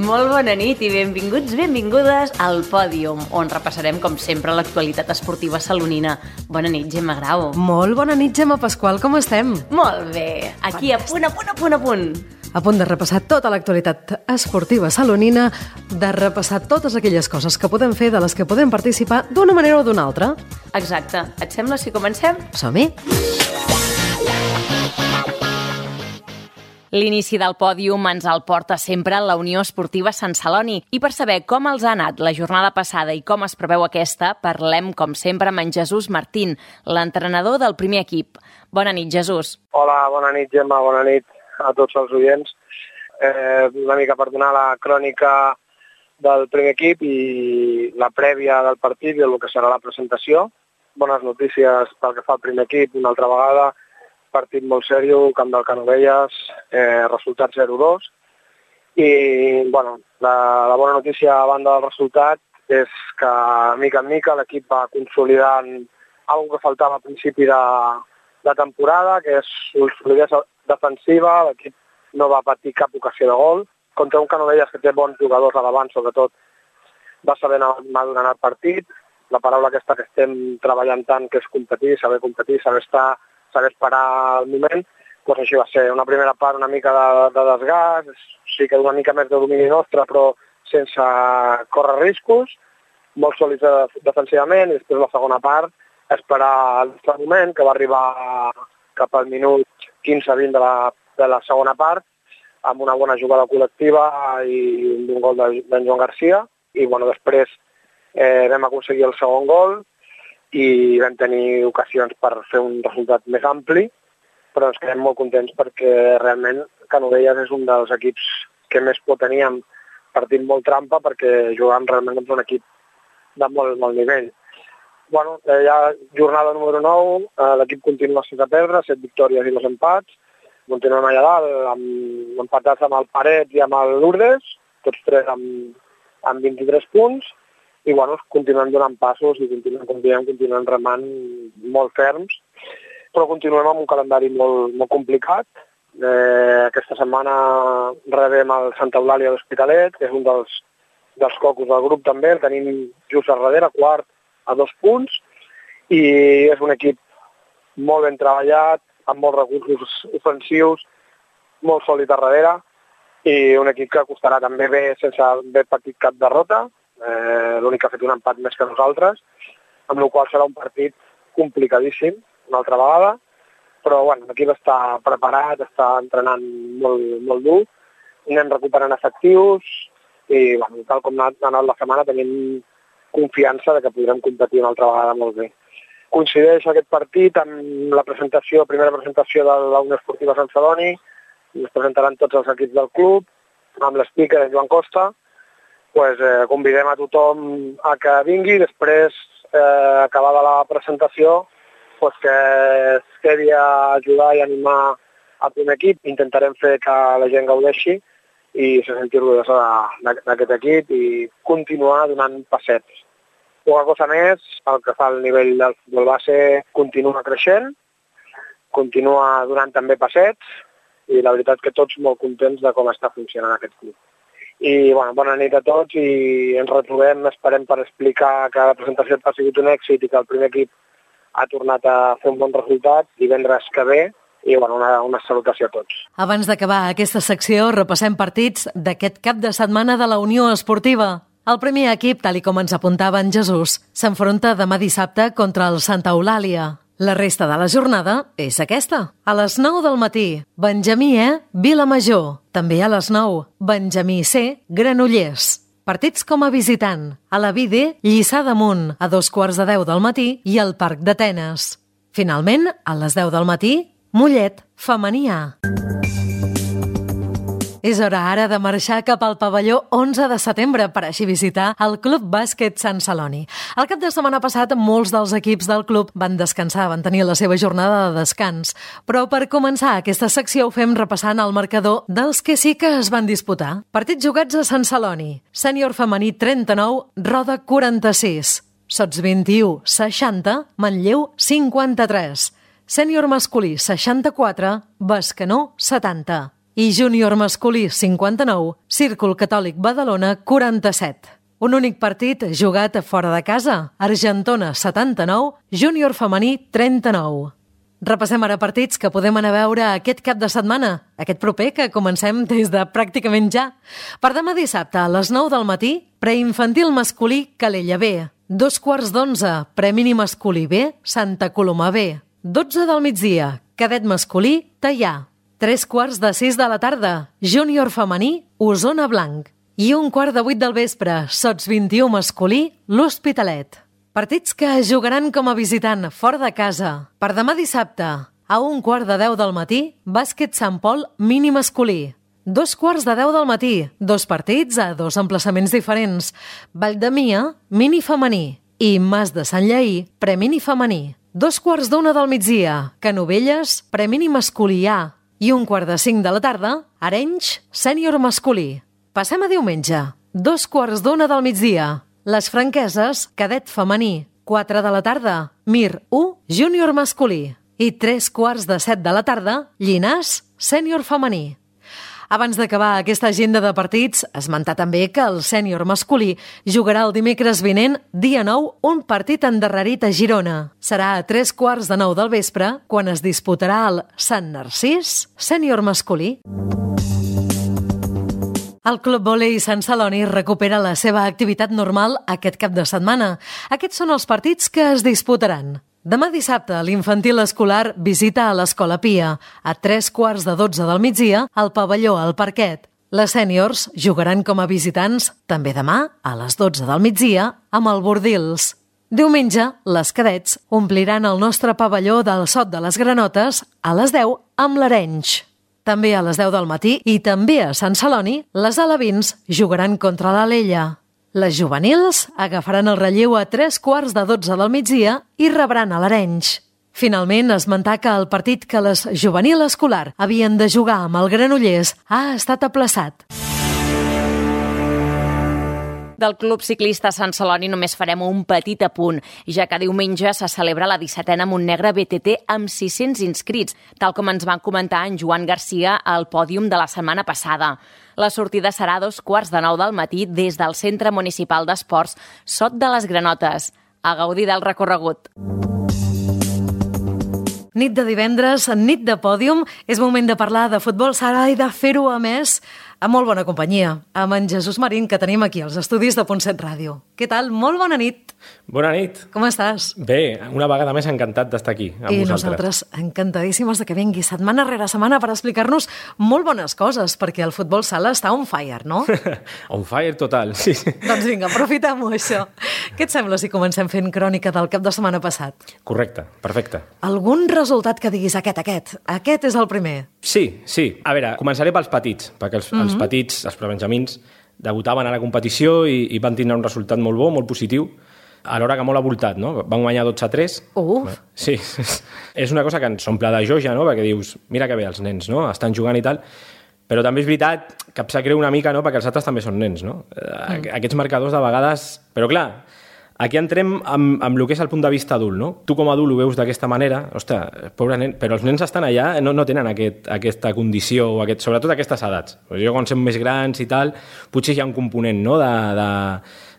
Molt bona nit i benvinguts, benvingudes al Pòdium, on repassarem, com sempre, l'actualitat esportiva salonina. Bona nit, Gemma Grau. Molt bona nit, Gemma Pasqual, com estem? Molt bé, aquí a punt. A punt de repassar tota l'actualitat esportiva salonina, de repassar totes aquelles coses que podem fer, de les que podem participar d'una manera o d'una altra. Exacte. Et sembla si comencem? Som-hi! L'inici del pòdium ens el porta sempre la Unió Esportiva Sant Celoni. I per saber com els ha anat la jornada passada i com es preveu aquesta, parlem, com sempre, amb en Jesús Martín, l'entrenador del primer equip. Bona nit, Jesús. Hola, bona nit, Gemma, bona nit a tots els oients. Una mica per donar la crònica del primer equip i la prèvia del partit i el que serà la presentació. Bones notícies pel que fa al primer equip, una altra vegada. Partit molt seriós, camp del Canovelles, resultat 0-2. I la bona notícia a banda del resultat és que, mica en mica, l'equip va consolidant alguna que faltava al principi de temporada, que és la solidesa defensiva. L'equip no va patir cap ocasió de gol. Contra un Canovelles que té bons jugadors a davant, sobretot, va saber madurar el partit. La paraula aquesta que estem treballant tant, que és competir, saber estar, saber esperar el moment, doncs així va ser. Una primera part una mica de desgast, sí que una mica més de domini nostre, però sense córrer riscos, molt sòlids defensivament, i després la segona part, esperar el nostre moment, que va arribar cap al minut 15-20 de la segona part, amb una bona jugada col·lectiva i un gol d'en Joan Garcia, i després vam aconseguir el segon gol, i vam tenir ocasions per fer un resultat més ampli, però ens quedem molt contents perquè realment Canovelles és un dels equips que més por teníem, partit molt trampa perquè jugàvem realment amb un equip de molt nivell. Ja jornada número 9, l'equip continua sense perdre, 7 victòries i 2 empats, continuem allà dalt, empatats amb el Paret i amb el Lourdes, tots tres amb 23 punts, i continuem donant passos i continuem remant molt ferms, però continuem amb un calendari molt complicat. Aquesta setmana rebem el Santa Eulàlia d'Hospitalet, que és un dels cocos del grup també, el tenim just a darrere, quart a 2 punts, i és un equip molt ben treballat, amb molts recursos ofensius, molt sòlid a darrere, i un equip que costarà també bé sense haver patit cap derrota. L'únic que ha fet un empat més que nosaltres, amb la qual serà un partit complicadíssim, una altra vegada, però l'equip està preparat, està entrenant molt dur, anem recuperant efectius i tal com ha anat la setmana tenim confiança de que podrem competir una altra vegada molt bé. Coincideix aquest partit amb la primera presentació de la Unió Esportiva Sant Celoni, es presentaran tots els equips del club, amb l'speaker Joan Costa. Convidem a tothom a que vingui, després, acabada la presentació, que es quedi a ajudar i animar el primer equip. Intentarem fer que la gent gaudeixi i se senti orgullosa d'aquest equip i continuar donant passets. Poca cosa més, el que fa el nivell del futbol base continua creixent, continua donant també passets i la veritat que tots molt contents de com està funcionant aquest club. I bona nit a tots i ens retrobem, esperem per explicar que la presentació ha sigut un èxit i que el primer equip ha tornat a fer un bon resultat divendres que ve i una salutació a tots. Abans d'acabar aquesta secció repassem partits d'aquest cap de setmana de la Unió Esportiva. El primer equip, tal com ens apuntava en Jesús, s'enfronta demà dissabte contra el Santa Eulàlia. La resta de la jornada és aquesta. A les 9 del matí, Benjamí E, Vilamajor. També a les 9, Benjamí C, Granollers. Partits com a visitant. A la Vide, Lliçà d'Amunt, a 2:15 del matí i al Parc d'Atenes. Finalment, a les 10 del matí, Mollet, Femení A. És hora ara de marxar cap al pavelló 11 de setembre per així visitar el Club Bàsquet Sant Celoni. El cap de setmana passat, molts dels equips del club van descansar, van tenir la seva jornada de descans. Però per començar aquesta secció ho fem repassant el marcador dels que sí que es van disputar. Partits jugats a Sant Celoni. Sènior femení 39, Roda 46. Sots 21, 60, Manlleu 53. Sènior masculí 64, Bescanó 70. i júnior masculí 59, Círcul Catòlic Badalona 47. Un únic partit jugat fora de casa, Argentona 79, júnior femení 39. Repassem ara partits que podem anar a veure aquest cap de setmana, aquest proper que comencem des de pràcticament ja. Per demà dissabte a les 9 del matí, preinfantil masculí Calella B. 2:15, premini masculí B, Santa Coloma B. 12 del migdia, cadet masculí Teià. 3:45 de la tarda, júnior femení Osona Blanc. I 7:15 del vespre, Sots 21 masculí l'Hospitalet. Partits que jugaran com a visitant fora de casa. Per demà dissabte, a 9:15 del matí, bàsquet Sant Pol mini masculí. 2:15 del matí, dos partits a dos emplaçaments diferents. Valldemia, mini femení, i Mas de Sant Lleí, premini femení. 2:15 del migdia, Canovelles, premini masculí A. I 4:45 de la tarda, Arenys, sènior masculí. Passem a diumenge, 2:15 del migdia, Les Franqueses, cadet femení. 4 de la tarda, Mir 1, júnior masculí. I 3:15 de la tarda, Llinàs, sènior femení. Abans d'acabar aquesta agenda de partits, esmentar també que el sènior masculí jugarà el dimecres vinent, dia 9, un partit endarrerit a Girona. Serà a 8:45 del vespre, quan es disputarà el Sant Narcís, sènior masculí. El Club Vòlei Sant Celoni recupera la seva activitat normal aquest cap de setmana. Aquests són els partits que es disputaran. Demà dissabte, l'infantil escolar visita a l'Escola Pia. A 3:15 del migdia, al pavelló al Parquet. Les sèniors jugaran com a visitants també demà, a les 12 del migdia, amb el Bordils. Diumenge, les cadets ompliran el nostre pavelló del Sot de les Granotes a les 10 amb l'Arenys. També a les 10 del matí i també a Sant Celoni, les alevins jugaran contra l'Alella. Les juvenils agafaran el relleu a 3:15 del migdia i rebran a l'Arenys. Finalment, esmentar que el partit que les juvenil escolar havien de jugar amb el Granollers ha estat aplaçat. Del Club Ciclista Sant Celoni només farem un petit apunt, ja que diumenge se celebra la 17a Montnegre BTT amb 600 inscrits, tal com ens van comentar en Joan Garcia al pòdium de la setmana passada. La sortida serà a 8:15 del matí des del Centre Municipal d'Esports Sot de les Granotes. A gaudir del recorregut. Nit de divendres, nit de pòdium, és moment de parlar de futbol sala i de fer-ho, a més, amb molt bona companyia, amb en Jesús Marín, que tenim aquí als estudis de Punt 7 Ràdio. Què tal? Molt bona nit. Bona nit. Com estàs? Bé, una vegada més encantat d'estar aquí amb vosaltres. I nosaltres encantadíssimes de que vingui setmana rere setmana per explicar-nos molt bones coses, perquè el futbol sala està on fire, no? On fire total, sí. Doncs vinga, aprofitem-ho, això. Què et sembla si comencem fent crònica del cap de setmana passat? Correcte, perfecte. Algun resultat que diguis aquest és el primer? Sí. A veure, començaré pels petits, perquè els petits, els prebenjamins, debutaven a la competició i van tindre un resultat molt bo, molt positiu, alhora que molt avoltat, no? Van guanyar 12-3. Uf! Sí, és una cosa que ens omple de joia, no? Perquè dius, mira que bé els nens, no? Estan jugant i tal, però també és veritat que em sap greu una mica, no? Perquè els altres també són nens, no? Aquests marcadors de vegades... Però clar, aquí entrem amb el que és el punt de vista adult, no? Tu com a adult ho veus d'aquesta manera, ostres, pobre nen, però els nens estan allà, no tenen aquesta condició, o sobretot aquestes edats. Jo quan som més grans i tal, potser hi ha un component, no?,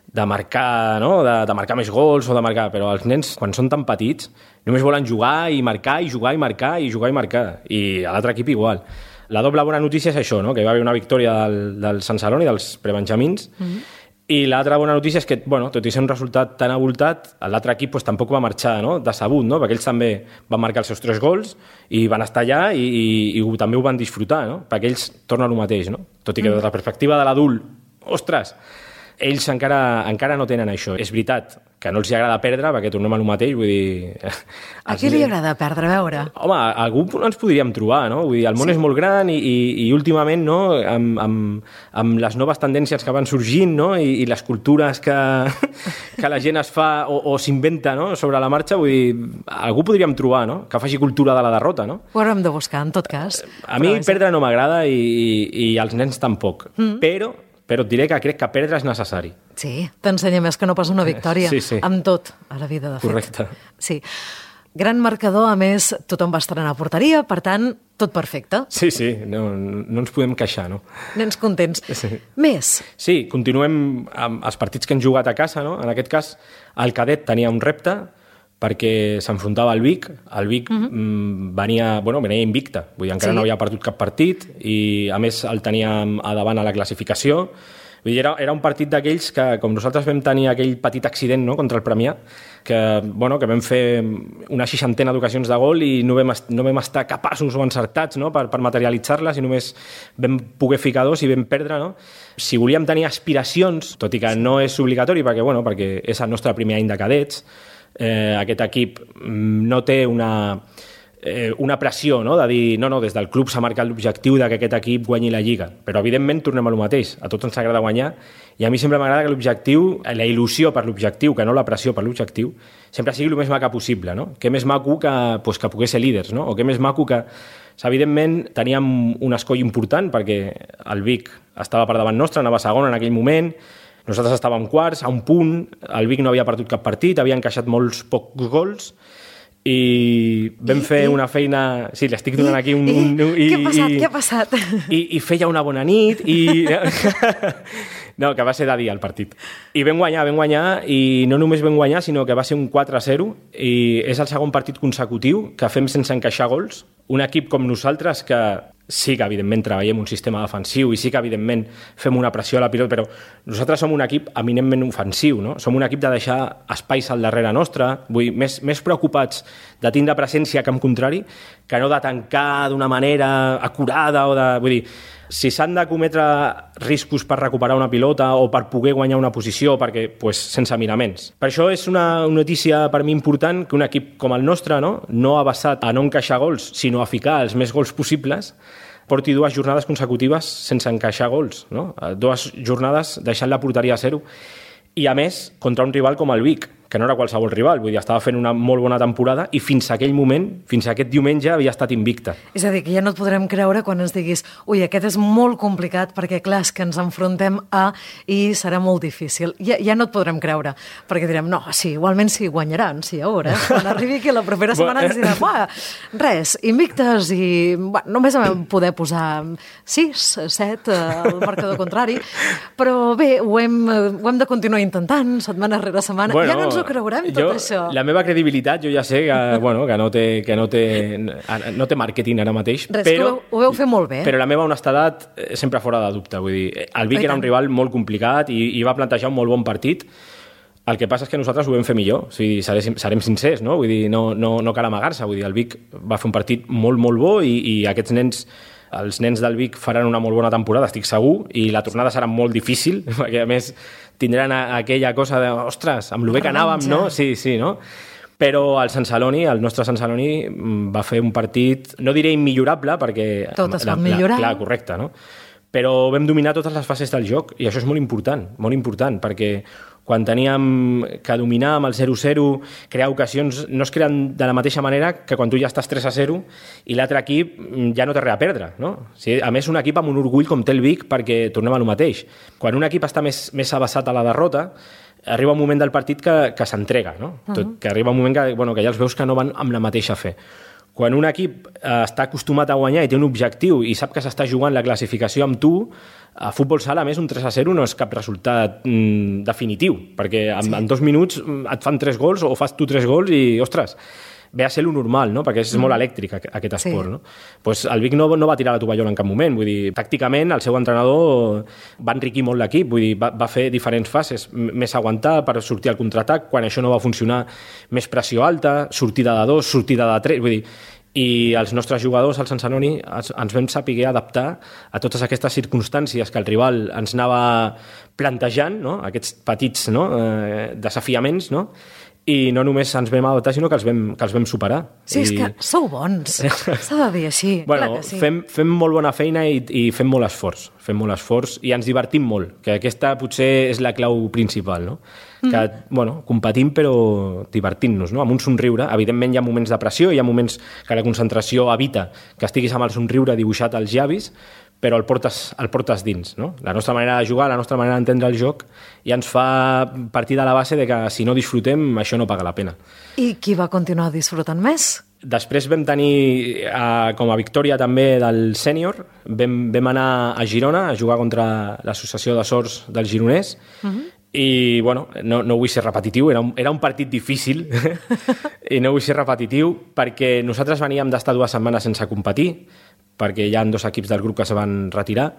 de marcar, no?, de marcar més gols o de marcar, però els nens, quan són tan petits, només volen jugar i marcar i jugar i marcar i jugar i marcar, i a l'altre equip igual. La doble bona notícia és això, no?, que va haver una victòria del Sant Celoni, dels prebenjamins, i l'altra bona notícia és que, tot i ser un resultat tan avoltat, l'altre equip tampoc va marxar, no?, decebut, no?, perquè ells també van marcar els seus 3 gols i van estar allà i també ho van disfrutar, no?, perquè ells tornen el mateix, no?, tot i que des de la perspectiva de l'adult, ostres, ells encara no tenen això. És veritat que no els agrada perdre, perquè tornem al mateix, vull dir... A qui li agrada perdre, a veure? Home, algú ens podríem trobar, no? Vull dir, el món és molt gran i últimament, no?, amb les noves tendències que van sorgint, no?, i les cultures que la gent es fa o s'inventa, no?, sobre la marxa, vull dir, algú podríem trobar, no?, que faci cultura de la derrota, no? Ho haurem de buscar, en tot cas. A mi perdre no m'agrada i als nens tampoc, però et diré que crec que perdre és necessari. Sí, t'ensenya més que no pas una victòria. Sí. Amb tot a la vida, de fet. Correcte. Sí. Gran marcador, a més, tothom va estrenar a porteria, per tant, tot perfecte. Sí, no ens podem queixar, no? Nens contents. Sí. Més? Sí, continuem amb els partits que hem jugat a casa, no? En aquest cas, el cadet tenia un repte perquè s'enfrontava al Vic. El Vic venia invicte, vull dir, encara no havia perdut cap partit i, a més, el teníem a davant a la classificació. Vull dir, era un partit d'aquells que, com nosaltres vam tenir aquell petit accident, no?, contra el Premià, que vam fer una 60 d'ocasions de gol i no vam estar capaços o encertats, no?, per materialitzar-les, i només vam poder ficar 2 i vam perdre, no? Si volíem tenir aspiracions, tot i que no és obligatori perquè és el nostre primer any de cadets, aquest equip no té una pressió, no?, de dir, no, des del club s'ha marcat l'objectiu de que aquest equip guanyi la Lliga. Però, evidentment, tornem a lo mateix. A tots ens agrada guanyar i a mi sempre m'agrada que l'objectiu, la il·lusió per l'objectiu, que no la pressió per l'objectiu, sempre sigui el més maca possible, no? Que més maco que poder ser líders, no? O que més maco que... Evidentment, teníem un escoll important perquè el Vic estava per davant nostre, anava segon en aquell moment, nosaltres estàvem quarts, a un punt, el Vic no havia perdut cap partit, havia encaixat molts pocs gols, i vam fer una feina... Sí, l'estic donant aquí un... Què ha passat? I feia una bona nit i... No, que va ser de dia el partit. I vam guanyar, i no només vam guanyar, sinó que va ser un 4-0, i és el segon partit consecutiu que fem sense encaixar gols. Un equip com nosaltres que sí que, evidentment, treballem un sistema defensiu i sí que, evidentment, fem una pressió a la pilota, però nosaltres som un equip eminentment ofensiu, no? Som un equip de deixar espais al darrere nostre, vull dir, més preocupats de tindre presència que en contrari, que no de tancar d'una manera acurada o de... Vull dir, si s'han de cometre riscos per recuperar una pilota o per poder guanyar una posició, perquè, sense miraments. Per això és una notícia per mi important que un equip com el nostre, no ha basat a no encaixar gols, sinó a ficar els més gols possibles, porti 2 jornades consecutives sense encaixar gols, no? 2 jornades deixant la porteria a 0. I, a més, contra un rival com el Vic, que no era qualsevol rival, vull dir, estava fent una molt bona temporada i fins a aquell moment, fins a aquest diumenge, havia estat invicta. És a dir, que ja no et podrem creure quan ens diguis ui, aquest és molt complicat perquè, clar, és que ens enfrontem a i serà molt difícil. Ja no et podrem creure, perquè direm, no, sí, igualment sí, guanyaran, sí, a veure, quan arribi aquí la propera setmana ens direm, res, invictes i només vam poder posar 6, 7 al marcador contrari, però bé, ho hem de continuar intentant, setmana rere setmana, ja no ens ho creurem, tot això. La meva credibilitat, jo ja sé que no té màrqueting ara mateix. Res, però ho veu fer molt bé. Però la meva honestedat sempre fora de dubte. Vull dir, el Vic era un rival molt complicat i va plantejar un molt bon partit. El que passa és que nosaltres ho vam fer millor. O sigui, serem sincers, no? Vull dir, no cal amagar-se. Vull dir, el Vic va fer un partit molt, molt bo i aquests nens... Els nens del Vic faran una molt bona temporada, estic segur, i la tornada serà molt difícil, perquè, a més, tindran aquella cosa de, ostres, amb el bé que anàvem, no? Sí, no? Però el nostre Sant Celoni, va fer un partit, no diré immillorable, perquè... Tot es pot millorar. Clar, correcte, no? Però vam dominar totes les fases del joc, i això és molt important, perquè quan teníem que dominar amb el 0-0, crear ocasions, no es creen de la mateixa manera que quan tu ja estàs 3-0 i l'altre equip ja no té res a perdre, no? O sigui, a més, un equip amb un orgull com té el Vic, perquè tornem a lo mateix. Quan un equip està més abassat a la derrota, arriba un moment del partit que s'entrega, no? Que arriba un moment que ja els veus que no van amb la mateixa fe. Quan un equip està acostumat a guanyar i té un objectiu i sap que s'està jugant la classificació amb tu, a futbol sala, a més, un 3-0 no és cap resultat definitiu, perquè en 2 minuts et fan 3 gols o fas tu 3 gols i, ostres, ve a ser lo normal, no? Perquè és molt elèctric aquest esport. Sí. No? Pues el Vic no va tirar la tovallola en cap moment. Vull dir, tàcticament, el seu entrenador va enriquir molt l'equip, vull dir, va fer diferents fases, més aguantar per sortir al contraatac, quan això no va funcionar, més pressió alta, sortida de 2, sortida de 3, vull dir, i els nostres jugadors, al Sant Celoni, ens vam saber adaptar a totes aquestes circumstàncies que el rival ens anava plantejant, no? Aquests petits desafiaments, no? I no només ens vam adaptar, sinó que els vam superar. Sí, és que sou bons, s'ha de dir així. Bueno, clar que sí. Fem molt bona feina i fem molt esforç i ens divertim molt, que aquesta potser és la clau principal, no? Que, competim però divertint-nos, no? Amb un somriure. Evidentment hi ha moments de pressió, hi ha moments que la concentració evita que estiguis amb el somriure dibuixat als llavis, però el portes dins, no? La nostra manera de jugar, la nostra manera d'entendre el joc ja ens fa partir de la base de que si no disfrutem, això no paga la pena. I qui va continuar disfrutant més? Després vam tenir, com a victòria també del sènior, vam anar a Girona a jugar contra l'associació de sords del Gironès, i bueno, no vull ser repetitiu, era un partit difícil i no vull ser repetitiu perquè nosaltres veníem d'estar 2 setmanes sense competir, perquè hi ha 2 equips del grup que se van retirar,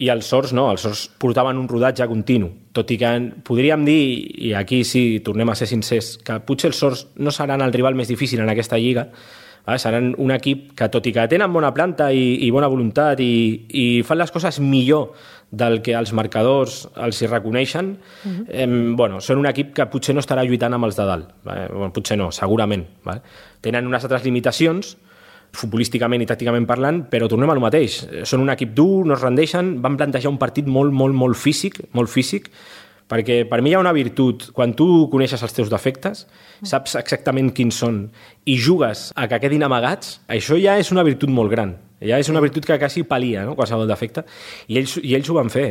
i els sords no, els sords portaven un rodatge continu, tot i que podríem dir, i aquí sí tornem a ser sincers, que potser els sords no seran el rival més difícil en aquesta lliga, seran un equip que, tot i que tenen bona planta i bona voluntat i fan les coses millor del que els marcadors els hi reconeixen, són un equip que potser no estarà lluitant amb els de dalt. Potser no, segurament. Tenen unes altres limitacions, futbolísticament i tàcticament parlant, però tornem al mateix. Són un equip dur, no es rendeixen, van plantejar un partit molt físic, perquè per mi hi ha una virtut. Quan tu coneixes els teus defectes, saps exactament quins són i jugues a que quedin amagats, això ja és una virtut molt gran. Ja és una virtut que quasi palia, no?, qualsevol defecte. I ells ho van fer.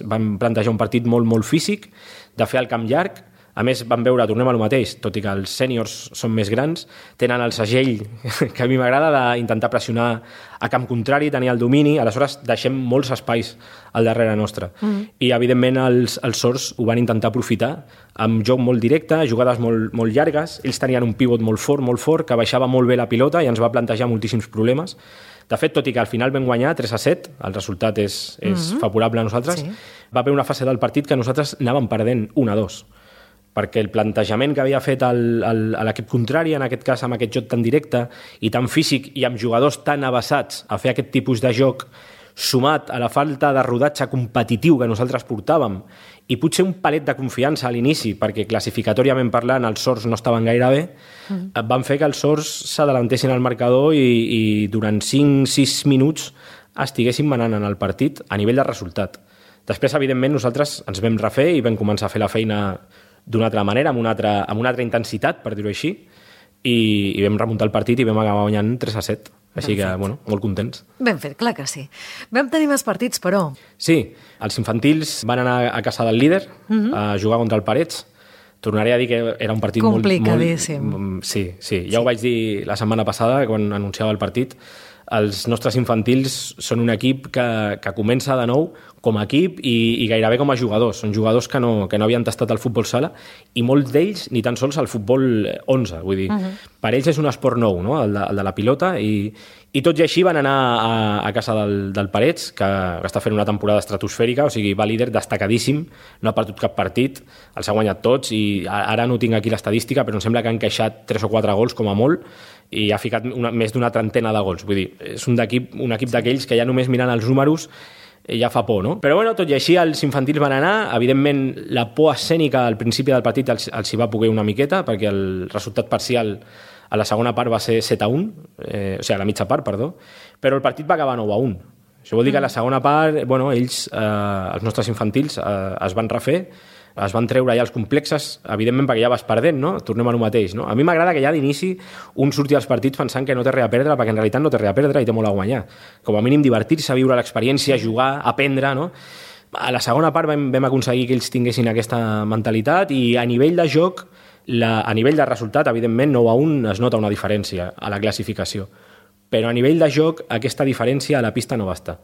Van plantejar un partit molt físic, de fer el camp llarg. A més, vam veure, tornem al mateix, tot i que els sèniors són més grans, tenen el segell que a mi m'agrada d'intentar pressionar a camp contrari, tenir el domini, aleshores deixem molts espais al darrere nostre. I, evidentment, els sords ho van intentar aprofitar amb joc molt directe, jugades molt llargues. Ells tenien un pivot molt fort, que baixava molt bé la pilota i ens va plantejar moltíssims problemes. De fet, tot i que al final vam guanyar 3-7, el resultat és favorable a nosaltres, va haver una fase del partit que nosaltres anàvem perdent 1-2. Perquè el plantejament que havia fet l'equip contrari, en aquest cas amb aquest joc tan directe i tan físic i amb jugadors tan avasats a fer aquest tipus de joc, sumat a la falta de rodatge competitiu que nosaltres portàvem i potser un palet de confiança a l'inici, perquè classificatòriament parlant els sords no estaven gaire bé, van fer que els sords s'adelantessin al marcador i durant 5-6 minuts estiguessin manant en el partit a nivell de resultat. Després, evidentment, nosaltres ens vam refer i vam començar a fer la feina d'una altra manera, amb una altra intensitat, per dir-ho així, i vam remuntar el partit i vam acabar guanyant 3-7. Així que, molt contents. Ben fet, clar que sí. Vam tenir més partits, però... Sí, els infantils van anar a casa del líder a jugar contra el Parets. Tornaré a dir que era un partit complicadíssim. Sí, ja ho vaig dir la setmana passada, quan anunciava el partit. Els nostres infantils són un equip que comença de nou com a equip i gairebé com a jugadors. Són jugadors que no havien tastat el futbol sala i molts d'ells ni tan sols el futbol 11. Vull dir, per ells és un esport nou, no?, el de la pilota, i tot i així van anar a casa del Parets, que està fent una temporada estratosfèrica, o sigui, va líder destacadíssim, no ha perdut cap partit, els ha guanyat tots, i ara no tinc aquí l'estadística, però em sembla que han encaixat 3 o 4 gols com a molt, i ha ficat més d'una trentena de gols. Vull dir, és un equip d'aquells que ja només mirant els números ja fa por, no? Però bueno, tot i així els infantils van anar. Evidentment, la por escènica al principi del partit els hi va poder una miqueta, perquè el resultat parcial a la segona part va ser 7-1, o sigui, a la mitja part, perdó, però el partit va acabar 9-1. Això vol dir que a la segona part, ells, els nostres infantils, es van refer, es van treure ja els complexes, evidentment perquè ja vas perdent, no? Tornem a lo mateix, no? A mi m'agrada que ja d'inici un surti als partits pensant que no té res a perdre, perquè en realitat no té res a perdre i té molt a guanyar. Com a mínim divertir-se, viure l'experiència, jugar, aprendre, no? A la segona part vam aconseguir que ells tinguessin aquesta mentalitat i a nivell de joc, a nivell de resultat, evidentment 9-1 es nota una diferència a la classificació, però a nivell de joc aquesta diferència a la pista no va estar.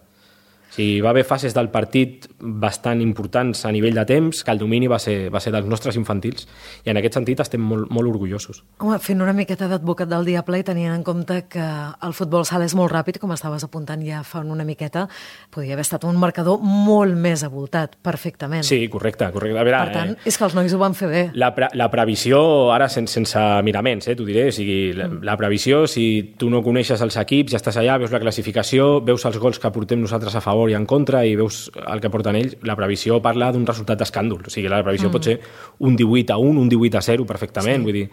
Sí, va haver fases del partit bastant importants a nivell de temps, que el domini va ser dels nostres infantils, i en aquest sentit estem molt orgullosos. Home, fent una miqueta d'advocat del diable i tenint en compte que el futbol sala és molt ràpid, com estaves apuntant ja fa una miqueta, podria haver estat un marcador molt més avoltat, perfectament. Sí, correcte. A veure, per tant, és que els nois ho van fer bé. La previsió, ara sense miraments, t'ho diré, o sigui, la previsió, si tu no coneixes els equips, ja estàs allà, veus la classificació, veus els gols que portem nosaltres a favor i en contra i veus el que porten ells, la previsió parla d'un resultat d'escàndol. O sigui, la previsió pot ser un 18-1, un 18-0 perfectament, vull dir.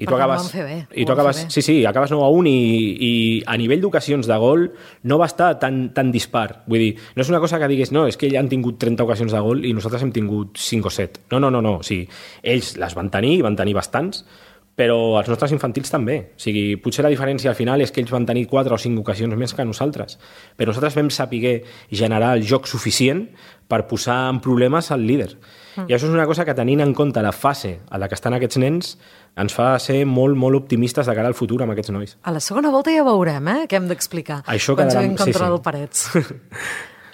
I tu acabes, acabes 9-1 i a nivell d'ocasions de gol no va estar tan dispar. Vull dir, no és una cosa que diguis, no, és que ells han tingut 30 ocasions de gol i nosaltres hem tingut 5 o 7. No. O sigui, ells les van tenir bastants, però els nostres infantils també. O sigui, potser la diferència al final és que ells van tenir 4 o 5 ocasions més que nosaltres, però nosaltres vam saber generar el joc suficient per posar en problemes al líder. I això és una cosa que, tenint en compte la fase a la que estan aquests nens, ens fa ser molt, molt optimistes de cara al futur amb aquests nois. A la segona volta ja veurem, què hem d'explicar. Això quan quedarà... juguem contra el Parets.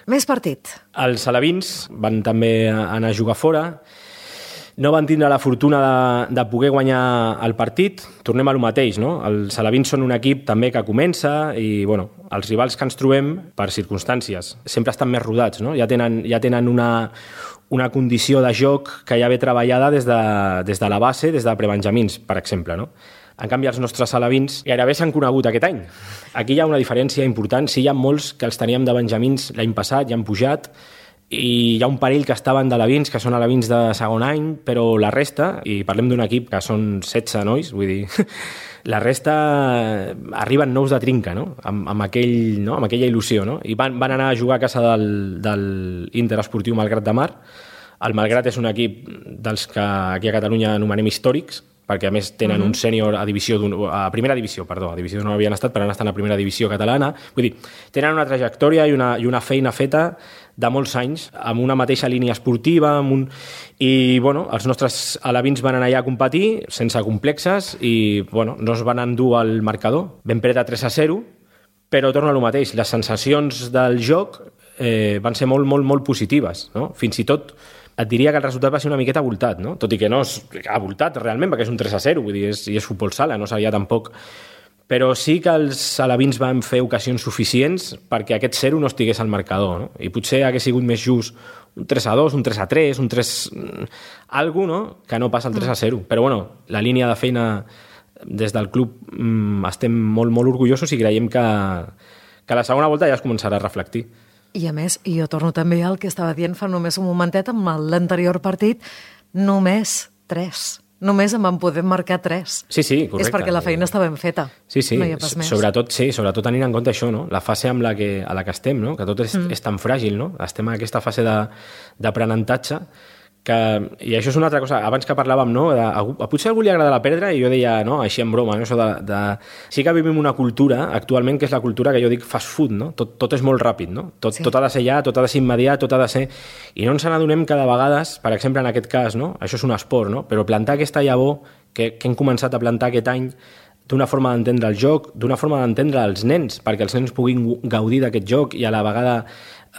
Més partit. Els alevins van també anar a jugar fora. No van tindre la fortuna de poder guanyar el partit. Tornem a lo mateix, no? Els alevins són un equip també que comença i, bueno, els rivals que ens trobem, per circumstàncies, sempre estan més rodats, no? Ja tenen una condició de joc que ja ve treballada des de la base, des de prebenjamins, per exemple, no? En canvi, els nostres alevins gairebé s'han conegut aquest any. Aquí hi ha una diferència important. Sí, hi ha molts que els teníem de benjamins l'any passat, ja han pujat, i hi ha un parell que estaven d'alevins, que són alevins de segon any, però la resta, i parlem d'un equip que són 16 nois, vull dir, la resta arriben nous de trinca, no? Amb aquella il·lusió, no? I van anar a jugar a casa del Interesportiu Malgrat de Mar. El Malgrat és un equip dels que aquí a Catalunya anomenem històrics, perquè a més tenen un sènior a primera divisió, a divisió d'on no havien estat, però han estat a primera divisió catalana. Vull dir, tenen una trajectòria i una feina feta de molts anys, amb una mateixa línia esportiva, i bueno, els nostres alevins van anar allà a competir sense complexes i bueno, no es van endur al marcador. Vam perdre 3-0, però torna a lo mateix. Les sensacions del joc van ser molt, molt, molt positives, no? Fins i tot et diria que el resultat va ser una miqueta abultat, no? Tot i que no és abultat realment, perquè és un 3-0, vull dir, és futbol sala, no seria tampoc... Però sí que els alevins van fer ocasions suficients perquè aquest 0 no estigués al marcador, no? I potser hagués sigut més just un 3-2, un 3-3, un 3... algo, no? Que no passa el 3-0. Però bueno, la línia de feina des del club estem molt, molt orgullosos i creiem que la segona volta ja es començarà a reflectir. I a més, jo torno també al que estava dient fa només un momentet amb l'anterior partit, només 3. Només en vam poder marcar 3. Sí, correcte. És perquè la feina està ben feta. Sí, no hi ha pas més. Sobretot tenint en compte això, no? La fase a la que estem, no? Que tot és tan fràgil, no? Estem en aquesta fase d'aprenentatge i això és una altra cosa, abans que parlàvem, no? Potser a algú li agrada la perdre i jo deia, no? Així en broma, no? Això sí que vivim una cultura actualment que és la cultura que jo dic fast food, no? Tot és molt ràpid, no? Tot ha de ser ja, tot ha de ser immediat, tot ha de ser... I no ens n'adonem que de vegades, per exemple en aquest cas, no? Això és un esport, no? Però plantar aquesta llavor que hem començat a plantar aquest any d'una forma d'entendre el joc, d'una forma d'entendre els nens, perquè els nens puguin gaudir d'aquest joc i a la vegada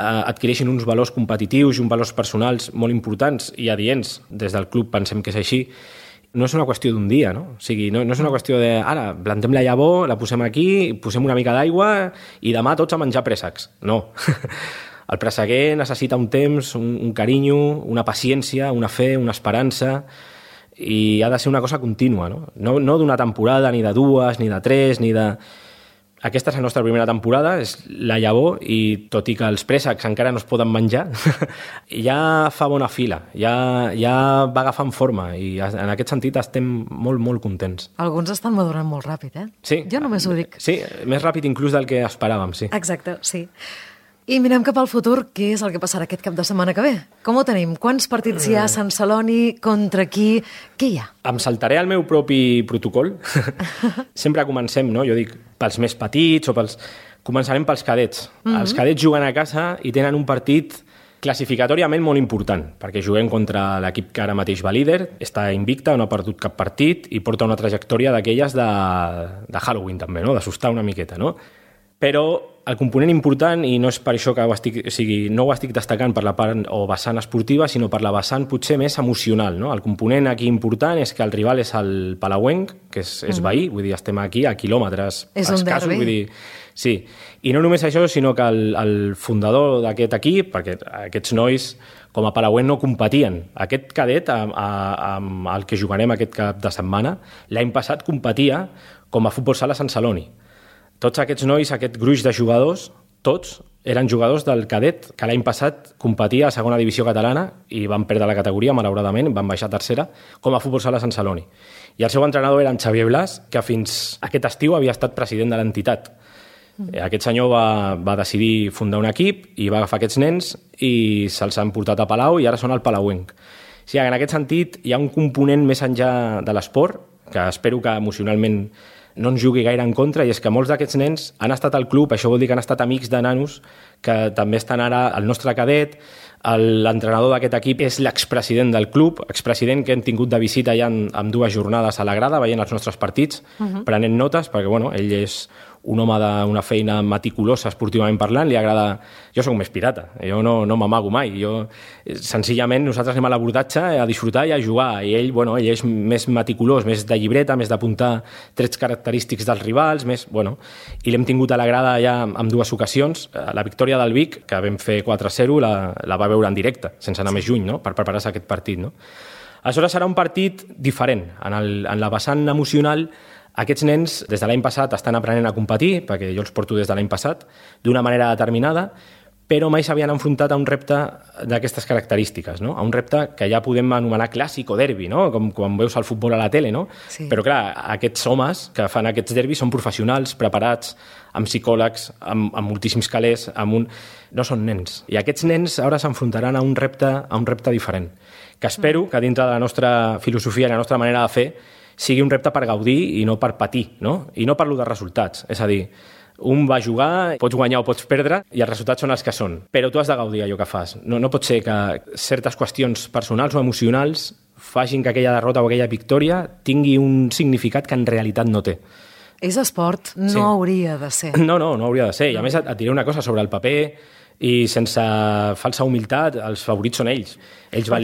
adquireixin uns valors competitius i uns valors personals molt importants i adients. Des del club pensem que és així. No és una qüestió d'un dia, no? O sigui, no és una qüestió de ara, plantem la llavor, la posem aquí, posem una mica d'aigua i demà tots a menjar préssecs. No. El presseguer necessita un temps, un carinyo, una paciència, una fe, una esperança, i ha de ser una cosa contínua, no? No d'una temporada, ni de 2, ni de 3, ni de... Aquesta és la nostra primera temporada, és la llavor, i tot i que els préssecs encara no es poden menjar, ja fa bona fila, ja va agafant forma, i en aquest sentit estem molt, molt contents. Alguns estan madurant molt ràpid, Sí. Jo només ho dic. Sí, més ràpid inclús del que esperàvem, sí. Exacte, sí. I mirem cap al futur, què és el que passarà aquest cap de setmana que ve? Com ho tenim? Quants partits hi ha a Sant Celoni? Contra qui? Què hi ha? Em saltaré el meu propi protocol. Sempre comencem, no? Jo dic, pels més petits o Començarem pels cadets. Els cadets juguen a casa i tenen un partit classificatòriament molt important, perquè juguem contra l'equip que ara mateix va líder, està invicta, no ha perdut cap partit i porta una trajectòria d'aquelles de Halloween també, no? D'assustar una miqueta, no? Però el component important, i no és per això que no ho estic destacant per la part o vessant esportiva, sinó per la vessant potser més emocional, no? El component aquí important és que el rival és el Palauenc, que és veí, vull dir, estem aquí a quilòmetres escassos, vull dir, sí. I no només això, sinó que el fundador d'aquest equip, perquè aquests nois com a Palauenc no competien. Aquest cadet, amb el que jugarem aquest cap de setmana, l'any passat competia com a futbol sala Sant Celoni. Tots aquests nois, aquest gruix de jugadors, tots eren jugadors del cadet, que l'any passat competia a segona divisió catalana i van perdre la categoria, malauradament, van baixar a tercera, com a futbol sala Sant Celoni. I el seu entrenador era en Xavier Blas, que fins aquest estiu havia estat president de l'entitat. Aquest senyor va decidir fundar un equip i va agafar aquests nens i se'ls han portat a Palau i ara són al Palauenc. O sigui, en aquest sentit, hi ha un component més enllà de l'esport que espero que emocionalment no ens jugui gaire en contra, i és que molts d'aquests nens han estat al club, això vol dir que han estat amics de nanos que també estan ara al nostre cadet. L'entrenador d'aquest equip és l'expresident del club, expresident que hem tingut de visita ja en 2 jornades a la grada, veient els nostres partits, prenent notes, perquè ell és un home d'una feina meticulosa esportivament parlant, li agrada... Jo soc més pirata, jo no m'amago mai. Senzillament, nosaltres anem a l'abordatge a disfrutar i a jugar, i ell és més meticulós, més de llibreta, més d'apuntar trets característics dels rivals, i l'hem tingut a la grada ja en 2 ocasions. La victòria del Vic, que vam fer 4-0, la va veure en directe, sense anar més lluny, no?, per preparar-se aquest partit, no? Aleshores serà un partit diferent. En la vessant emocional, aquests nens, des de l'any passat, estan aprenent a competir, perquè jo els porto des de l'any passat, d'una manera determinada, però mai s'havien enfrontat a un repte d'aquestes característiques, no? A un repte que ja podem anomenar clàssic o derbi, no? Com quan veus el futbol a la tele, no? Sí. Però clar, aquests homes que fan aquests derbis són professionals, preparats, amb psicòlegs, amb moltíssims calés, no són nens. I aquests nens ara s'enfrontaran a un repte diferent, que espero que dintre de la nostra filosofia i la nostra manera de fer sigui un repte per gaudir i no per patir, no? I no parlo de resultats, és a dir, un va jugar, pots guanyar o pots perdre, i els resultats són els que són. Però tu has de gaudir allò que fas. No pot ser que certes qüestions personals o emocionals facin que aquella derrota o aquella victòria tingui un significat que en realitat no té. És esport, no hauria de ser. No hauria de ser. I a més et diré una cosa sobre el paper, i sense falsa humilitat, els favorits són ells. Ells van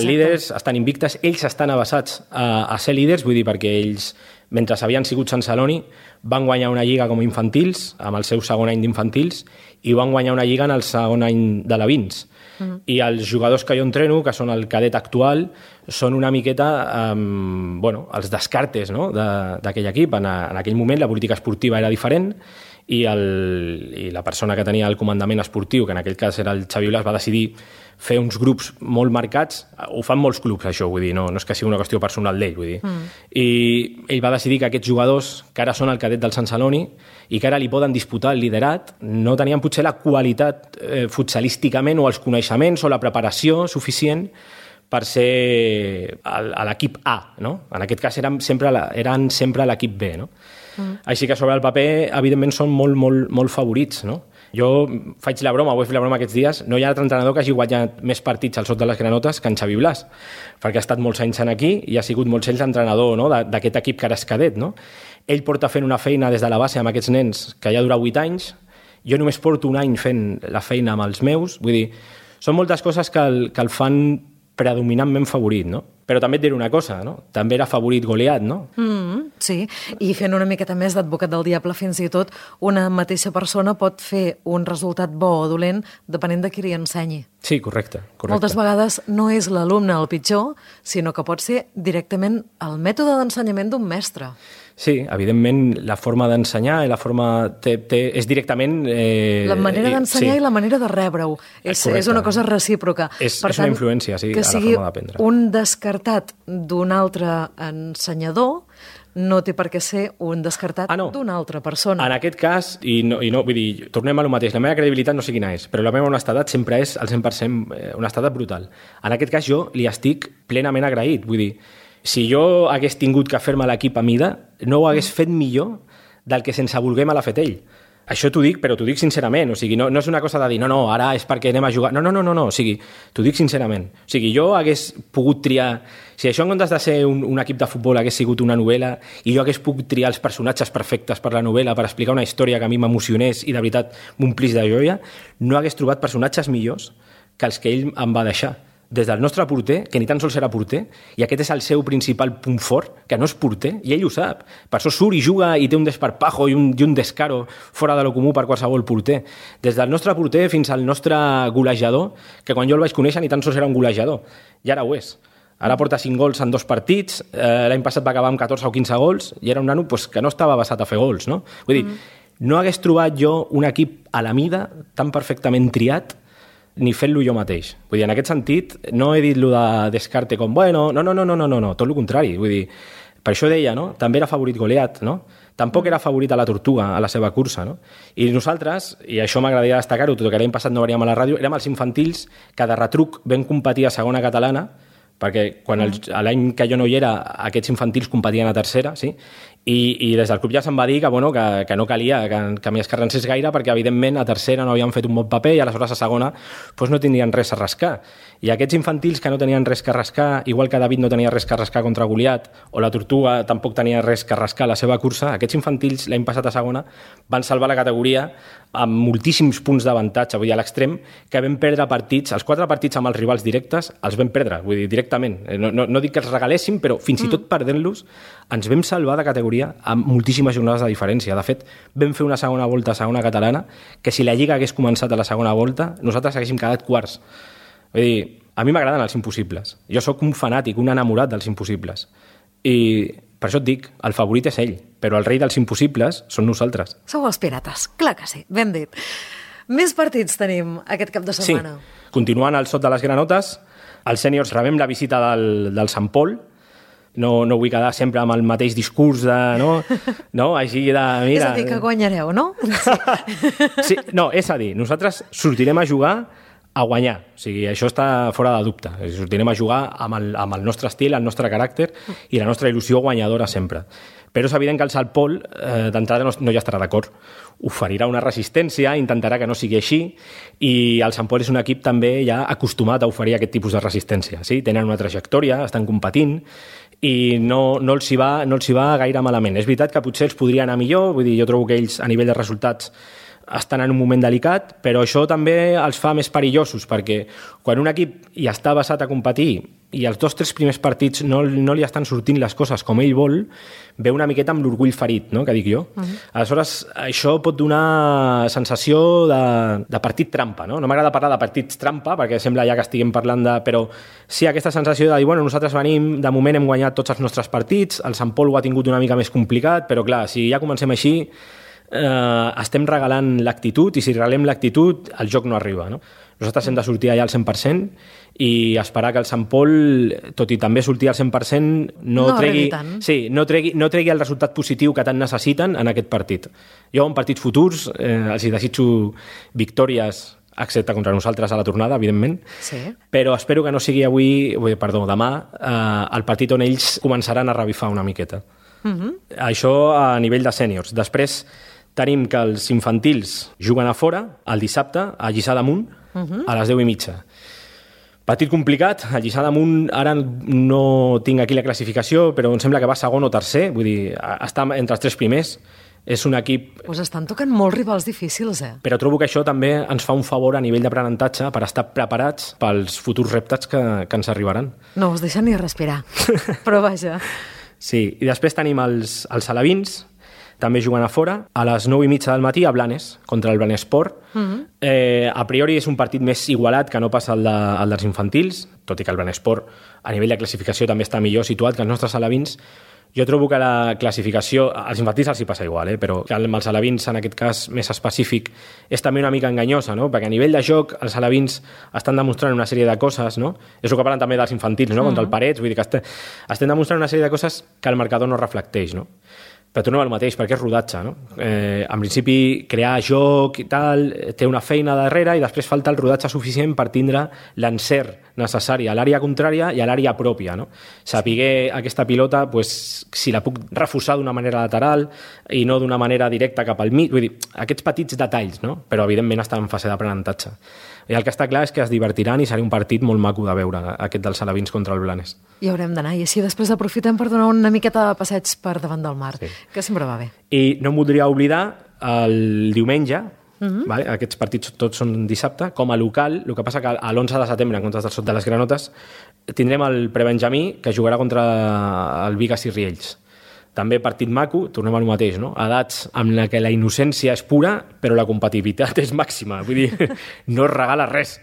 líders, estan invictes, ells estan avasats a ser líders, vull dir, perquè ells, mentre havien sigut Sant Celoni, van guanyar una lliga com a infantils, amb el seu segon any d'infantils, i van guanyar una lliga en el segon any de la Vins. I els jugadors que jo entreno, que són el cadet actual, són una miqueta els descartes, no?, d'aquell equip. En aquell moment la política esportiva era diferent, i la persona que tenia el comandament esportiu, que en aquell cas era el Xavi Blas, va decidir fer uns grups molt marcats. Ho fan molts clubs, això, vull dir, no és que sigui una qüestió personal d'ell, vull dir. I ell va decidir que aquests jugadors, que ara són el cadet del Sant Celoni i que ara li poden disputar el liderat, no tenien potser la qualitat futsalísticament o els coneixements o la preparació suficient per ser a l'equip A, no? En aquest cas eren sempre l'equip B, no? Així que sobre el paper, evidentment, són molt favorits, no? Jo faig la broma, ho he fet la broma aquests dies, no hi ha altre entrenador que hagi guanyat més partits al sot de les granotes que en Xavi Blas, perquè ha estat molts anys aquí i ha sigut molts anys l'entrenador, no?, d'aquest equip que ara és cadet, no? Ell porta fent una feina des de la base amb aquests nens que ja dura 8 anys, jo només porto un any fent la feina amb els meus, vull dir, són moltes coses que el fan predominantment favorit, no? Però també et diré una cosa, no? També era favorit Goliat, no? Sí, i fent una miqueta més d'advocat del diable, fins i tot una mateixa persona pot fer un resultat bo o dolent depenent de qui li ensenyi. Sí, correcte. Moltes vegades no és l'alumne el pitjor, sinó que pot ser directament el mètode d'ensenyament d'un mestre. Sí, evidentment, la forma d'ensenyar i la forma és directament... La manera d'ensenyar i la manera de rebre-ho. És una cosa recíproca. És una influència, sí, a la forma d'aprendre. Que sigui un descartat d'un altre ensenyador no té per què ser un descartat d'una altra persona. En aquest cas, i no, vull dir, tornem a lo mateix, la meva credibilitat no sé quina és, però la meva honestedat sempre és al 100% honestedat brutal. En aquest cas jo li estic plenament agraït, vull dir, si jo hagués tingut que fer-me l'equip a mida, no ho hagués fet millor del que sense voler me l'ha fet ell. Això t'ho dic, però t'ho dic sincerament. O sigui, no és una cosa de dir, no, ara és perquè anem a jugar. No. O sigui, t'ho dic sincerament. O sigui, jo hagués pogut triar... Si això en comptes de ser un equip de futbol hagués sigut una novel·la i jo hagués pogut triar els personatges perfectes per la novel·la per explicar una història que a mi m'emocionés i de veritat m'omplís de joia, no hagués trobat personatges millors que els que ell em va deixar. Des del nostre porter, que ni tan sols era porter, i aquest és el seu principal punt fort, que no és porter, i ell ho sap. Per això surt i juga i té un desparpajo i un descaro fora de lo comú per qualsevol porter. Des del nostre porter fins al nostre golejador, que quan jo el vaig conèixer ni tan sols era un golejador, i ara ho és. Ara porta 5 gols en 2 partits, l'any passat va acabar amb 14 o 15 gols, i era un nano que no estava basat a fer gols, no? Vull dir, no hagués trobat jo un equip a la mida tan perfectament triat ni fent-lo jo mateix. Vull dir, en aquest sentit, no he dit lo de Descarte com, bueno, no, tot el contrari. Vull dir, per això deia, no? També era favorit Goliat, no? Tampoc era favorit a la Tortuga, a la seva cursa, no? I nosaltres, i això m'agradaria destacar-ho, tot que l'any passat no veníem a la ràdio, érem els infantils que de retruc vam competir a segona catalana perquè quan l'any que jo no hi era, aquests infantils competien a tercera, sí? I des del club ja se'm va dir que no calia que m'hi escarrancés gaire, perquè evidentment a tercera no havien fet un bon paper i aleshores a segona doncs no tindrien res a rascar. I aquests infantils que no tenien res que rascar, igual que David no tenia res que rascar contra Goliat, o la Tortuga tampoc tenia res que rascar a la seva cursa, aquests infantils l'any passat a segona van salvar la categoria amb moltíssims punts d'avantatge, vull dir, a l'extrem, que vam perdre partits, els 4 partits amb els rivals directes els vam perdre, vull dir, directament. No dic que els regaléssim, però fins i tot perdent-los ens vam salvar de categoria amb moltíssimes jornades de diferència. De fet, vam fer una segona volta a segona catalana que si la Lliga hagués començat a la segona volta, nosaltres haguéssim quedat quarts. Vull dir, a mi m'agraden els impossibles. Jo sóc un fanàtic, un enamorat dels impossibles. I per això et dic, el favorit és ell, però el rei dels impossibles són nosaltres. Sou els pirates, clar que sí, ben dit. Més partits tenim aquest cap de setmana. Sí, continuant al sot de les granotes, els sèniors rebem la visita del Sant Pol. No vull quedar sempre amb el mateix discurs de... No? Així de... Mira... És a dir, que guanyareu, no? Sí, no, és a dir, nosaltres sortirem a jugar a guanyar. O sigui, això està fora de dubte. Sortirem a jugar amb el nostre estil, el nostre caràcter i la nostra il·lusió guanyadora sempre. Però és evident que el Sant Pol d'entrada no hi estarà d'acord. Oferirà una resistència, intentarà que no sigui així, i el Sant Pol és un equip també ja acostumat a oferir aquest tipus de resistència. Sí? Tenen una trajectòria, estan competint, i no els hi va gaire malament. És veritat que potser els podria anar millor, vull dir, jo trobo que ells a nivell de resultats estan en un moment delicat, però això també els fa més perillosos, perquè quan un equip hi està basat a competir i els 2 o 3 primers partits no li estan sortint les coses com ell vol, ve una miqueta amb l'orgull ferit, no?, que dic jo. Aleshores, això pot donar sensació de partit trampa, no? No m'agrada parlar de partits trampa, perquè sembla ja que estiguem parlant de... Però sí, aquesta sensació de dir, bueno, nosaltres venim, de moment hem guanyat tots els nostres partits, el Sant Pol ho ha tingut una mica més complicat, però clar, si ja comencem així, estem regalant l'actitud, i si regalem l'actitud, el joc no arriba, no? Nosaltres hem de sortir allà al 100% i esperar que el Sant Pol, tot i també sortir al 100%, no tregui el resultat positiu que tant necessiten en aquest partit. Jo en partits futurs els hi desitjo victòries, excepte contra nosaltres a la tornada, evidentment, sí. Però espero que no sigui demà, el partit on ells començaran a revifar una miqueta. Això a nivell de sèniors. Després tenim que els infantils juguen a fora el dissabte a Lliçà d'Amunt a les 10:30. Partit complicat. A Lliçà d'Amunt ara no tinc aquí la classificació, però em sembla que va segon o tercer, vull dir, està entre els 3 primers. És un equip... Pues estan tocant molts rivals difícils, Però trobo que això també ens fa un favor a nivell d'aprenentatge per estar preparats pels futurs reptes que ens arribaran. No us deixa ni respirar, però vaja. Sí, i després tenim els alevins, també juguen a fora, a les 9:30 del matí a Blanes, contra el Blanesport. A priori és un partit més igualat que no passa el dels infantils, tot i que el Blanesport a nivell de classificació també està millor situat que els nostres alevins. Jo trobo que la classificació, als infantils els hi passa igual, però que amb els alevins, en aquest cas més específic, és també una mica enganyosa, no? Perquè a nivell de joc els alevins estan demostrant una sèrie de coses, no? És el que parlen també dels infantils, no? Contra el Parets, vull dir que estem demostrant una sèrie de coses que el marcador no reflecteix, no? Però tornem al mateix, perquè és rodatge, no? En principi, crear joc i tal, té una feina darrere i després falta el rodatge suficient per tindre l'encert necessari a l'àrea contrària i a l'àrea pròpia, no? Sapiguer aquesta pilota, pues, si la puc refusar d'una manera lateral i no d'una manera directa cap al mig, vull dir, aquests petits detalls, no? Però evidentment està en fase d'aprenentatge. I el que està clar és que es divertiran i serà un partit molt maco de veure, aquest dels alevins contra el Blanes. I haurem d'anar, i així després aprofitem per donar una miqueta de passeig per davant del mar, que sempre va bé. I no em voldria oblidar el diumenge, vale? Aquests partits tots són dissabte, com a local, el que passa que l'11 de setembre, en comptes del Sot de les Granotes, tindrem el Prebenjamí, que jugarà contra el Bigues i Riells. També partit maco, tornem al mateix, no? Edats amb la que la innocència és pura, però la compatibilitat és màxima. Vull dir, no es regala res.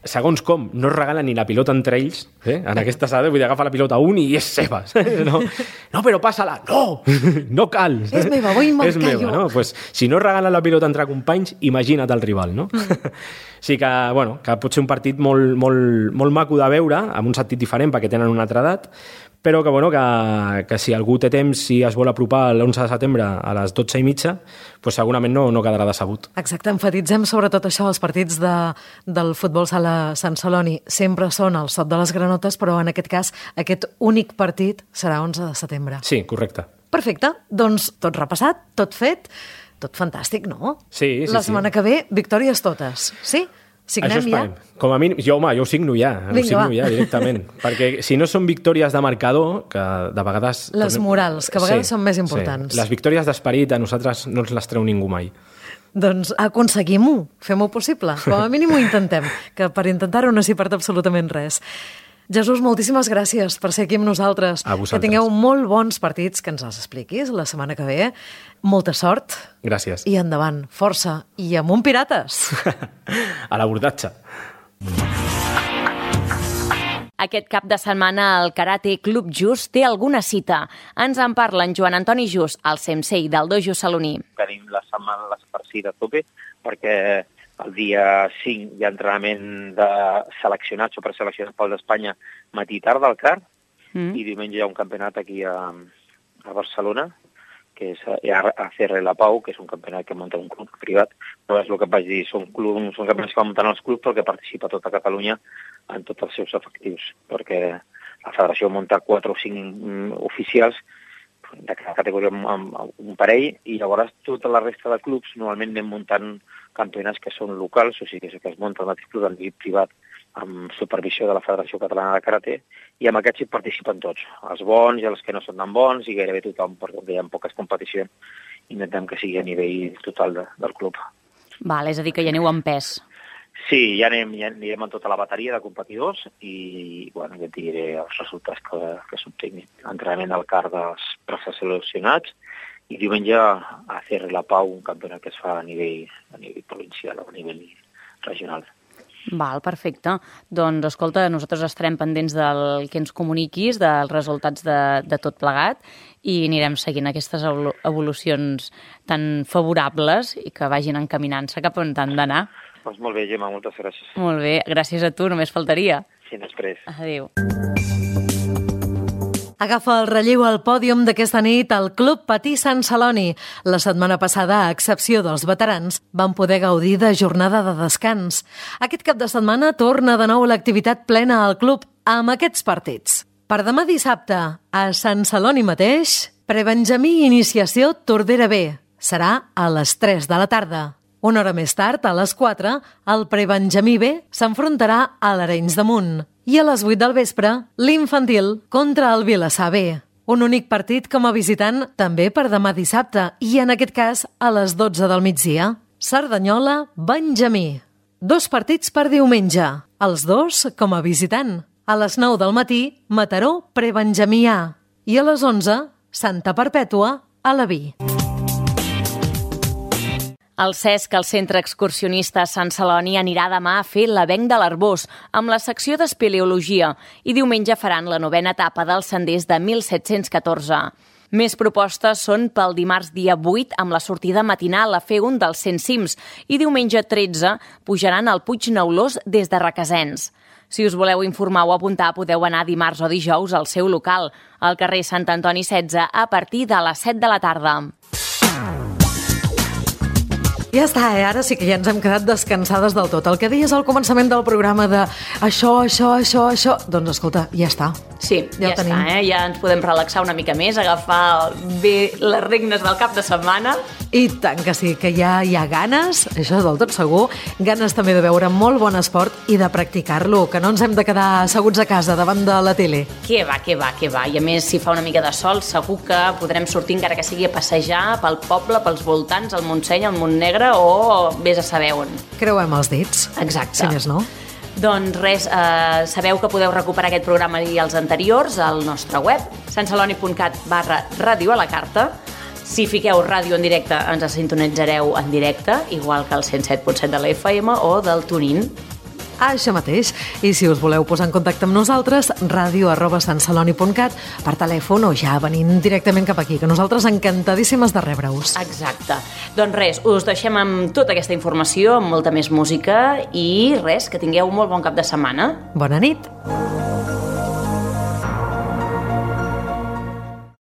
Segons com, no es regala ni la pilota entre ells, en aquestes edats, vull dir, agafa la pilota un i és seva. No, però passa-la. No! No cal. És meva, vull marcar jo. No? Pues, si no es regala la pilota entre companys, imagina't el rival, no? Sí que, bueno, que pot ser un partit molt, molt, molt maco de veure, amb un sentit diferent perquè tenen una altra edat, però que, bueno, que si algú té temps, si es vol apropar l'11 de setembre a les 12:30, doncs segurament no quedarà decebut. Exacte, enfatitzem sobretot això, els partits del futbol sala Sant Celoni sempre són al Sot de les Granotes, però en aquest cas aquest únic partit serà 11 de setembre. Sí, correcte. Perfecte, doncs tot repassat, tot fet, tot fantàstic, no? Sí. La setmana que ve, victòries totes, sí? Signem ja? Com a mínim, jo ho signo ja, directament. Perquè si no són victòries de marcador, que de vegades... Les morals, que a vegades són més importants. Sí. Les victòries d'esperit a nosaltres no ens les treu ningú mai. Doncs aconseguim-ho, fem-ho possible. Com a mínim ho intentem, que per intentar-ho no s'hi perd absolutament res. Jesús, moltíssimes gràcies per ser aquí amb nosaltres. A vosaltres. Que tingueu molt bons partits, que ens els expliquis la setmana que ve. Molta sort. Gràcies. I endavant, força. I amunt Pirates! A l'abordatge. Aquest cap de setmana el Karate Club Just té alguna cita. Ens en parla en Joan Antoni Just, el sensei del dojo saloní. Tenim la setmana farcida a tope perquè el dia 5 hi ha entrenament de seleccionats o preseleccionats pel d'Espanya matí i tarda al CAR i diumenge hi ha un campionat aquí a Barcelona que és ACR La Pau, que és un campionat que munta un club privat, però és el que vaig dir, són campionats que van muntant els clubs perquè participa tota Catalunya en tots els seus efectius, perquè la federació munta 4 o 5 oficials de cada categoria amb un parell, i llavors tota la resta de clubs normalment anem muntant campionats que són locals, o sigui que es munta el mateix club en nivell privat amb supervisió de la Federació Catalana de Karate, i amb aquests hi participen tots, els bons i els que no són tan bons, i gairebé tothom, perquè hi ha poques competicions, intentem que sigui a nivell total del club. Val, és a dir, que hi aneu en pes. Sí, ja anirem amb tota la bateria de competidors i ja et diré els resultats que s'obtinguin. Entrenament al CAR dels preseleccionats i diumenge a CR La Pau, un campionat que es fa a nivell provincial o a nivell regional. Val, perfecte. Doncs, escolta, nosaltres estarem pendents del que ens comuniquis, dels resultats de tot plegat, i anirem seguint aquestes evolucions tan favorables i que vagin encaminant-se cap on han d'anar. Doncs molt bé, Gemma, moltes gràcies. Molt bé, gràcies a tu, només faltaria. Fins després. Adéu. Agafa el relleu al pòdium d'aquesta nit al Club Patí Sant Celoni. La setmana passada, a excepció dels veterans, van poder gaudir de jornada de descans. Aquest cap de setmana torna de nou l'activitat plena al club amb aquests partits. Per demà dissabte, a Sant Celoni mateix, prebenjamí iniciació Tordera B. Serà a les 3 de la tarda. Una hora més tard, a les 4, el prebenjamí B s'enfrontarà a l'Arenys de Munt. I a les 8 del vespre, l'infantil contra el Vilassar B. Un únic partit com a visitant també per demà dissabte i, en aquest cas, a les 12 del migdia. Cerdanyola-Benjamí. 2 partits per diumenge, els 2 com a visitant. A les 9 del matí, Mataró-Prebenjamí A. I a les 11, Santa Perpètua a la Vi. El CESC, el Centre Excursionista Sant Celoni, anirà demà a fer l'Avenc de l'Arbós, amb la secció d'espeleologia, i diumenge faran la 9a etapa dels senders de 1714. Més propostes són pel dimarts dia 8, amb la sortida matinal a fer un dels 100 cims, i diumenge 13 pujaran al Puig Neulós des de Requesens. Si us voleu informar o apuntar, podeu anar dimarts o dijous al seu local, al carrer Sant Antoni 16, a partir de les 7 de la tarda. Ja està, ara sí que ja ens hem quedat descansades del tot. El que deies al començament del programa de això, doncs escolta, ja està. Sí, ja està, ja ens podem relaxar una mica més, agafar bé les regnes del cap de setmana. I tant que sí, que ja hi ha ganes, això és del tot segur, ganes també de veure molt bon esport i de practicar-lo, que no ens hem de quedar asseguts a casa davant de la tele. Què va. I a més, si fa una mica de sol, segur que podrem sortir, encara que sigui a passejar pel poble, pels voltants, al Montseny, al Montnegre, o vés a saber on. Creuem els dits. Exacte. Si més no. Doncs res, sabeu que podeu recuperar aquest programa i els anteriors al nostre web, santceloni.cat/ràdio a la carta. Si fiqueu ràdio en directe, ens sintonitzareu en directe, igual que el 107.7 de la FM o del TuneIn. Això mateix. I si us voleu posar en contacte amb nosaltres, radio@santceloni.cat, per telèfon o ja venint directament cap aquí, que nosaltres encantadíssimes de rebre-us. Exacte. Doncs res, us deixem amb tota aquesta informació, amb molta més música i res, que tingueu un molt bon cap de setmana. Bona nit.